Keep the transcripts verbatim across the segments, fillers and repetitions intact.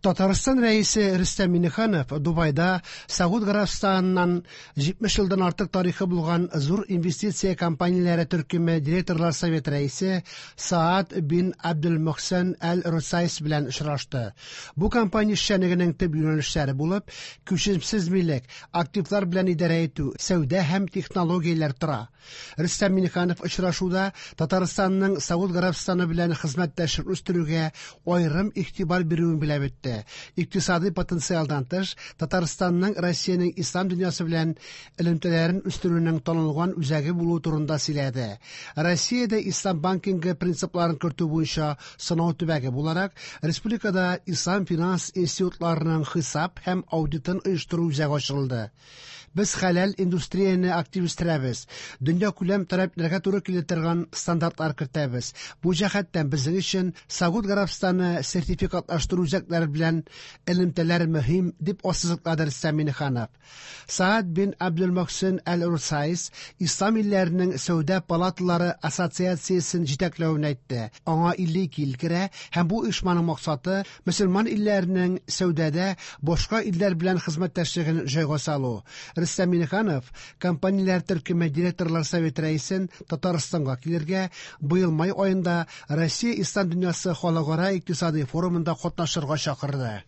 Татарстан Рәисе Рөстәм Миңнеханов Дубайда Сауд Гарәбстаныннан җитмеш елдан артык тарихы булган зур инвестиция компанияләре төркеме директорлар советы рәисе Саад бин Абдул-Мөхсен Әл-Русайс белән очрашты. Бу компания эшчәнлегенең төп юнәлешләре булып күчемсез милек, активлар белән идарә итү, сәүдә һәм технологияләр тора. Рөстәм Миңнеханов очрашуда Татарстанның Сауд Гарәбстаны белән хезмәттәшлек үстерүгә аерым игътибар бирүен белеп үтте. Икътисади потенциалдан тыш, Татарстанның Россиянең ислам дөньясы белән элемтәләрен үстерүнең танылган үзәге булуы турында сөйләде. Россиядә ислам банкингы принципларын кертү буенча сынау төбәге буларак, республикада ислам финанс институтларының хисап һәм аудитын оештыру үзәге ачылды. Без хәләл индустрияне актив үстерәбез. Дөньякүләм таләпләргә туры килә торган стандартлар кертәбез. Бу җәһәттән безнең өчен Сауд Гарәбстаны сертификатлаштыру үзәкләре белән элемтәләр мөһим, дип ассызыклады Рөстәм Миңнеханов. Саад бин Абдул-Мөхсен Әл-Русайс Ислам илләренең сәүдә палаталары ассоциациясен җитәкләвен әйтте. Аңа илле ике ил керә һәм бу оешманың максаты мөселман илләренең сәүдәдә башка илләр белән хезмәттәшлеген җайга салу. Рөстәм Миңнеханов компанияләр төркеме директорлар советы рәисен Татарстанга килергә, быел май аенда Россия Ислам дөньясы халыкара икътисади форумында катнашырга чакырды.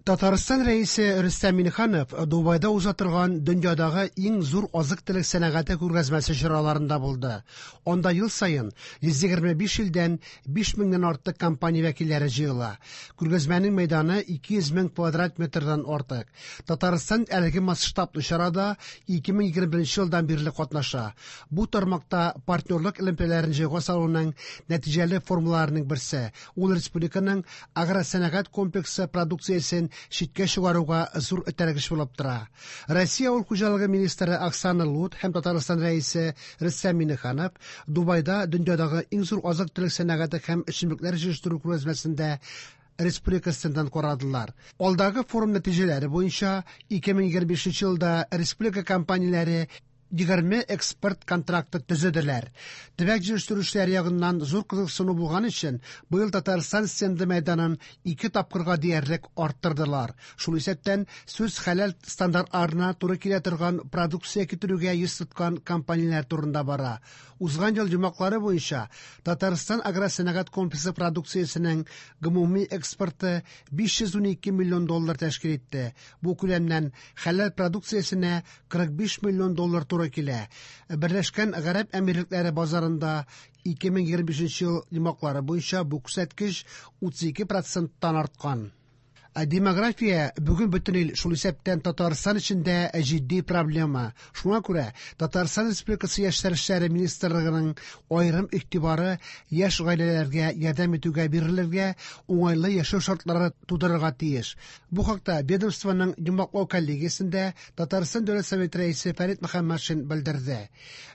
Татарстан Рәисе Рөстәм Миңнеханов Дубайда уза торган дөньядагы иң зур азык-төлек сәнәгате күргәзмәсе чараларында булды. Анда ел саен йөз егерме биш илдән биш меңнән артык компания вәкилләре җыела. Күргәзмәнең мәйданы ике йөз мең квадрат метрдан артык. Татарстан әлеге масштаблы чарада ике мең егерме беренче елдан бирле катнаша. Бу тармакта партнерлык элемтәләрен җайга салуның нәтиҗәле формаларының берсе. Ул республиканың агросәнәгать комплексы продукциясен читкә чыгаруга зур этәргеч булып тора. Россия авыл хуҗалыгы министры Оксана Лут һәм Татарстан Рәисе Рөстәм Миңнеханов Дубайда дөньядагы иң зур азык-төлек сәнәгате һәм эчемлекләр җитештерү күргәзмәсендә республика стендын карадылар. Алдагы форум нәтиҗәләре буенча ике мең егерме бишенче елда республика компанияләре егерме экспорт контракты төзеделәр. Төбәк җитештерүчеләр ягыннан зур кызыксыну булган өчен быел Татарстан стенды мәйданын ике тапкырга диярлек арттырдылар. Шул исәптән сүз хәләл стандартларына туры килә торган продукция китерүгә йөз тоткан компанияләр турында бара. Узган ел йомгаклары буенча Татарстан агросәнәгать комплексы продукциясенең гомуми экспорты биш йөз унике миллион доллар тәшкил итте. Бу күләмнән хәләл продукциясенә кырык биш миллион доллар туры килә. Берләшкән Гарәп Әмирлекләре базарында ике мең егерме бишенче ел йомгаклары буенча бу күрсәткеч утыз ике проценттан арткан. Ә демография бүген бөтен ил, шул исәптән Татарстан эчендә җитди проблема. Шуңа күрә Татарстан Республикасы Яшьләр эшләре министрлыгының аерым игътибары яшь гаиләләргә ярдәм итүгә бирелергә, уңайлы яшәү шартлары тудырырга тиеш. Бу хакта ведомствоның йомгаклау коллегиясендә Татарстан Дәүләт Советы рәисе Фәрит Мөхәммәтшин белдерде.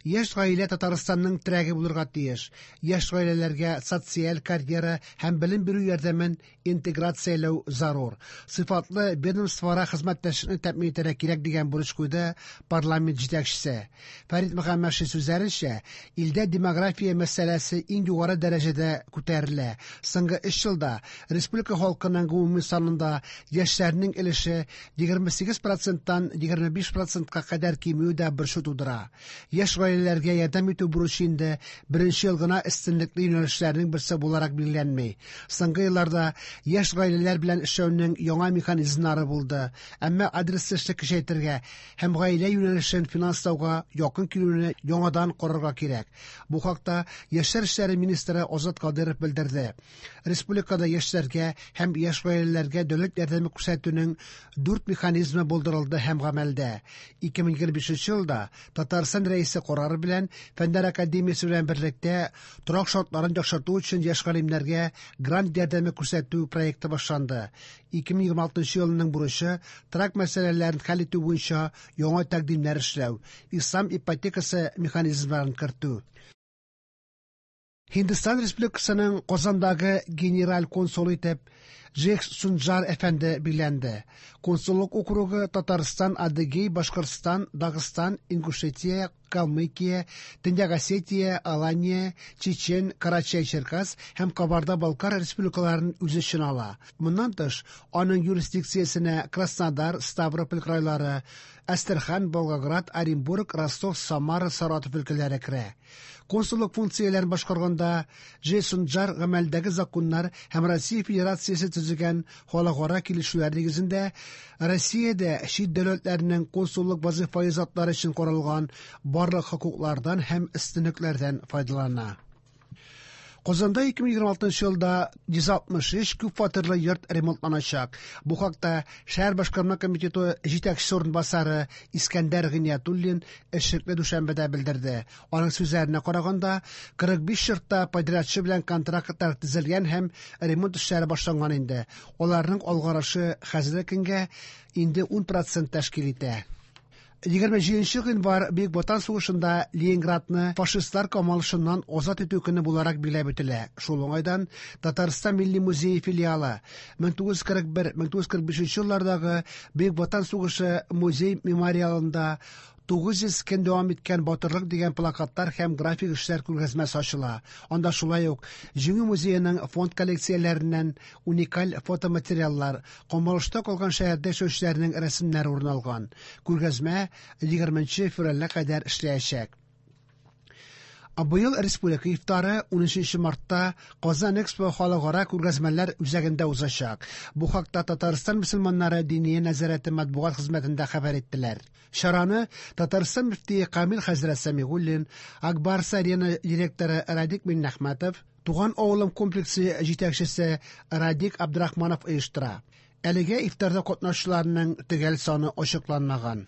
Яшь гаилә Татарстанның терәге булырга тиеш. Яшь гаиләләргә социаль карьера һәм белем бирү ярдәмен интеграцияләү зарур. Сыйфатлы ведомствоара хезмәттәшлекне тәэмин итәргә кирәк дигән бурыч куйды парламент җитәкчесе. Фәрит Мөхәммәтшин сүзләренчә, илдә демография мәсьәләсе иң югары дәрәҗәдә күтәрелә. Соңгы өч елда республика халкының гомуми санында яшьләрнең өлеше егерме сигез проценттан егерме биш процентка кадәр кимүе дә борчу тудыра. Яшь гаиләләргә ярдәм итү бурычы инде беренче ел гына өстенлекле юнәлешләрнең берсе буларак билгеләнми. Соңгы елларда яшь гаиләләр белән эшләүнең яңа механизмнары булды. Әмма адреслы эшне көчәйтергә һәм гаилә юнәлешен финанслауга якын килүне яңадан карарга кирәк. Бу хакта Яшьләр эшләре министры Азат Кадыров белдерде. Республикада яшьләргә һәм яшь гаиләләргә дәүләт ярдәме күрсәтүнең дүрт механизмы булдырылды һәм гамәлдә. Ике мең егерме бишенче елда Татарстан Рәисе карары белән Фәннәр академиясе белән берлектә торак шартларын яхшырту өчен яшь галимнәргә грант ярдәме күрсәтү проекты башланды. Ике мең егерме алтынчы елның бурычы торак мәсьәләләрен хәл итү буенча яңа тәкъдимнәр эшләү, ислам ипотекасы механизмнарын кертү. Һиндстан Республикасының Казандагы генераль консулы итеп Джек Сунджар әфәнде билгеләнде. Консуллык округы Татарстан, Адыгей, Башкортстан, Дагыстан, Ингушетия, Калмыкия, Төньяк Осетия, Алания, Чечен, Карачай-Черкас һәм Кабарда-Балкар республикаларын үз эченә ала. Моннан тыш, аның юрисдикциясенә Краснодар, Ставрополь крайлары, Әстерхан, Волгоград, Оренбург, Ростов, Самара, Саратов өлкәләре керә. Консуллык функцияләрен башкарганда Джейсон Джар гамәлдәге законнар һәм Россия Федерациясе төзегән халыкара килешүләр нигезендә Россиядә чит дәүләтләрнең консуллык вазифаи затлары өчен каралган барлык хокуклардан һәм өстенлекләрдән файдалана. Казанда ике мең егерме алтынчы елда йөз алтмыш өч күп фатирлы йорт ремонтланачак. Бу хакта шәһәр башкарма комитеты җитәкчесе урынбасары Искәндәр Гыйниятуллин эшлекле дүшәмбедә белдерде. Аның сүзләренә караганда, кырык биш йортта подрядчы белән контрактлар төзелгән һәм ремонт эшләре башланган инде. Аларның алгарышы хәзерге көнгә инде ун процент тәшкил итә. Егерме җиденче гыйнвар Бөек Ватан сугышында Ленинградны фашистлар камалышыннан азат итү көне буларак билгеләп үтелә. Шул уңайдан Татарстан Милли музее филиалы мең тугыз йөз кырык бер, мең тугыз йөз кырык бишенче еллардагы Бөек Ватан сугышы музей мемориалында тугыз йөз көн дәвам иткән батырлык дигән плакатлар һәм график эшләр күргәзмәсе ачыла. Анда шулай ук Җиңү музееның фонд коллекцияләреннән уникаль фотоматериаллар, камалышта калган шәһәрдә яшәүчеләрнең рәсемнәре урын алган. Күргәзмә егерменче февральгә кадәр эшләячәк. Быел республика ифтары унөченче мартта Казан Экспо халыкара күргәзмәләр үзәгендә узачак. Бу хакта Татарстан мөселманнары диния нәзарәте матбугат хезмәтендә хәбәр иттеләр. Чараны Татарстан мөфтие Камил хәзрәт Сәмигуллин, Акбарс Арена директоры Радик Миннәхмәтов, Туган авылым комплексы җитәкчесе Радик Абдрахманов оештыра. Әлегә ифтарда катнашучыларның төгәл саны ачыкланмаган.